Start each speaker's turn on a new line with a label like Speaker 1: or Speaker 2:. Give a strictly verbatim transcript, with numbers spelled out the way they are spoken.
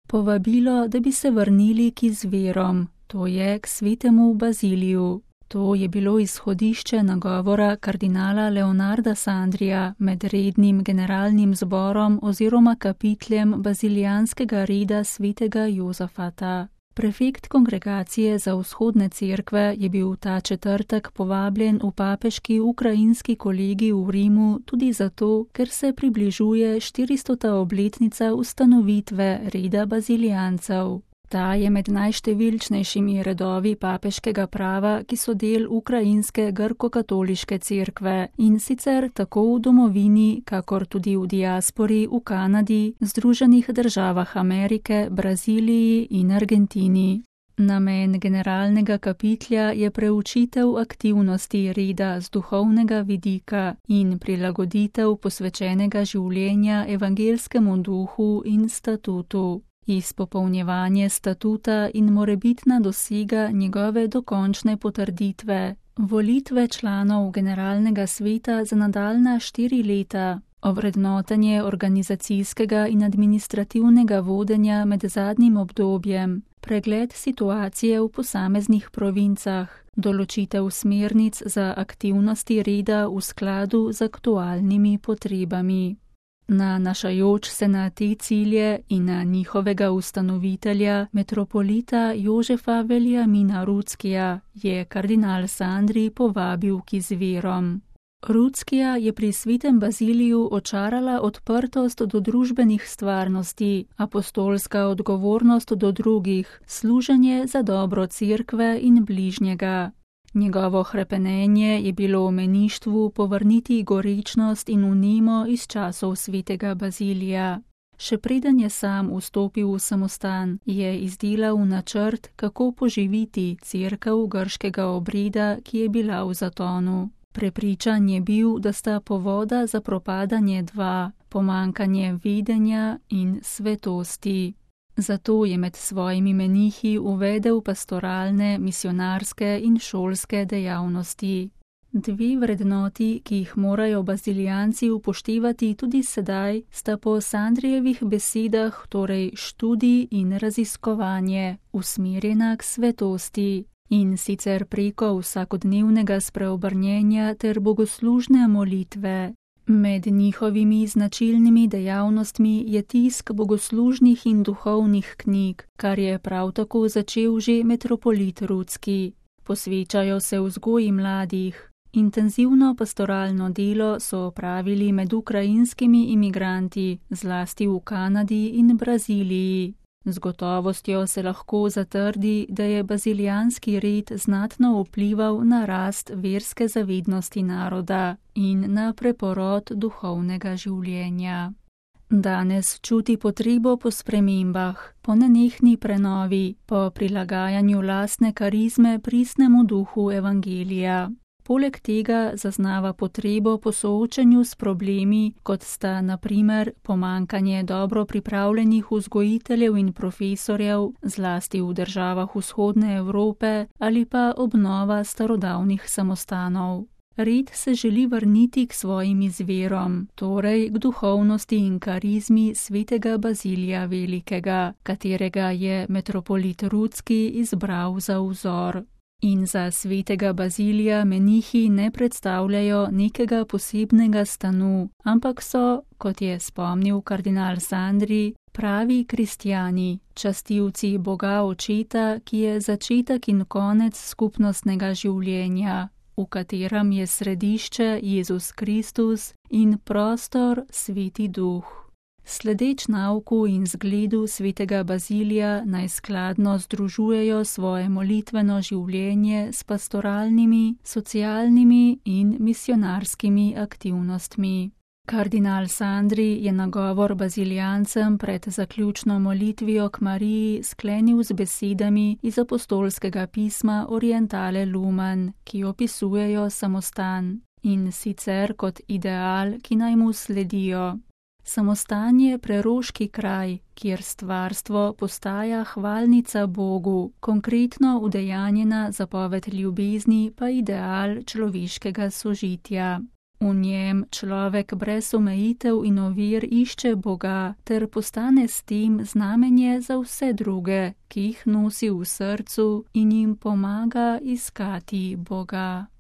Speaker 1: povabilo, da bi se vrnili k izvirom, to je k svetemu Baziliju. To je bilo izhodišče nagovora kardinala Leonarda Sandrija med rednim generalnim zborom oziroma kapitljem bazilijanskega reda svetega Jozafata. Prefekt kongregacije za vzhodne cerkve je bil ta četrtek povabljen v papeški ukrajinski kolegij v Rimu tudi zato, ker se približuje štiristota obletnica ustanovitve reda bazilijancev. Ta je med najštevilčnejšimi redovi papeškega prava, ki so del ukrajinske grko-katoliške cerkve in sicer tako v domovini, kakor tudi v diaspori v Kanadi, Združenih državah Amerike, Braziliji in Argentini. Namen generalnega kapitlja je preučitev aktivnosti reda z duhovnega vidika in prilagoditev posvečenega življenja evangelskemu duhu in statutu. Izpopolnjevanje statuta in morebitna dosega njegove dokončne potrditve, volitve članov generalnega sveta za nadaljnja štiri leta, ovrednotenje organizacijskega in administrativnega vodenja med zadnjim obdobjem, pregled situacije v posameznih provincah, določitev smernic za aktivnosti reda v skladu z aktualnimi potrebami. Nanašajoč se na te cilje in na njihovega ustanovitelja, metropolita Jožefa Veljamina Ruckija, je kardinal Sandri povabil k izvirom. Ruckija je pri svetem Baziliju očarala odprtost do družbenih stvarnosti, apostolska odgovornost do drugih, služenje za dobro cerkve in bližnjega. Njegovo hrepenenje je bilo v meništvu povrniti gorečnost in vnemo iz časov svetega Bazilija. Še preden je sam vstopil v samostan, je izdelal načrt, kako poživiti cerkev grškega obreda, ki je bila v zatonu. Prepričan je bil, da sta povoda za propadanje dva, pomankanje vedenja in svetosti. Zato je med svojimi menihi uvedel pastoralne, misionarske in šolske dejavnosti. Dve vrednoti, ki jih morajo bazilijanci upoštevati tudi sedaj, sta po Sandrijevih besedah torej študij in raziskovanje, usmerjena k svetosti, in sicer preko vsakodnevnega spreobrnjenja ter bogoslužne molitve. Med njihovimi značilnimi dejavnostmi je tisk bogoslužnih in duhovnih knjig, kar je prav tako začel že metropolit Rucki. Posvečajo se vzgoji mladih. Intenzivno pastoralno delo so opravili med ukrajinskimi imigranti, zlasti v Kanadi in Braziliji. Z gotovostjo se lahko zatrdi, da je bazilijanski red znatno vplival na rast verske zavednosti naroda in na preporod duhovnega življenja. Danes čuti potrebo po spremembah, po nenehni prenovi, po prilagajanju lastne karizme pristnemu duhu evangelija. Poleg tega zaznava potrebo po soočanju s problemi, kot sta na primer pomankanje dobro pripravljenih vzgojiteljev in profesorjev, zlasti v državah vzhodne Evrope, ali pa obnova starodavnih samostanov. Red se želi vrniti k svojim izvirom, torej k duhovnosti in karizmi svetega Bazilija Velikega, katerega je metropolit Rucki izbral za vzor. In za svetega Bazilija menihi ne predstavljajo nekega posebnega stanu, ampak so, kot je spomnil kardinal Sandri, pravi kristjani, častilci Boga Očeta, ki je začetek in konec skupnostnega življenja, v katerem je središče Jezus Kristus in prostor Sveti Duh. Sledeč nauku in zgledu svetega Bazilija naj skladno združujejo svoje molitveno življenje s pastoralnimi, socialnimi in misionarskimi aktivnostmi. Kardinal Sandri je nagovor bazilijancem pred zaključno molitvijo k Mariji sklenil z besedami iz apostolskega pisma Orientale Lumen, ki opisujejo samostan, in sicer kot ideal, ki naj mu sledijo. Samostan je preroški kraj, kjer stvarstvo postaja hvalnica Bogu, konkretno udejanjena zapoved ljubezni pa ideal človeškega sožitja. V njem človek brez omejitev in ovir išče Boga ter postane s tem znamenje za vse druge, ki jih nosi v srcu in jim pomaga iskati Boga.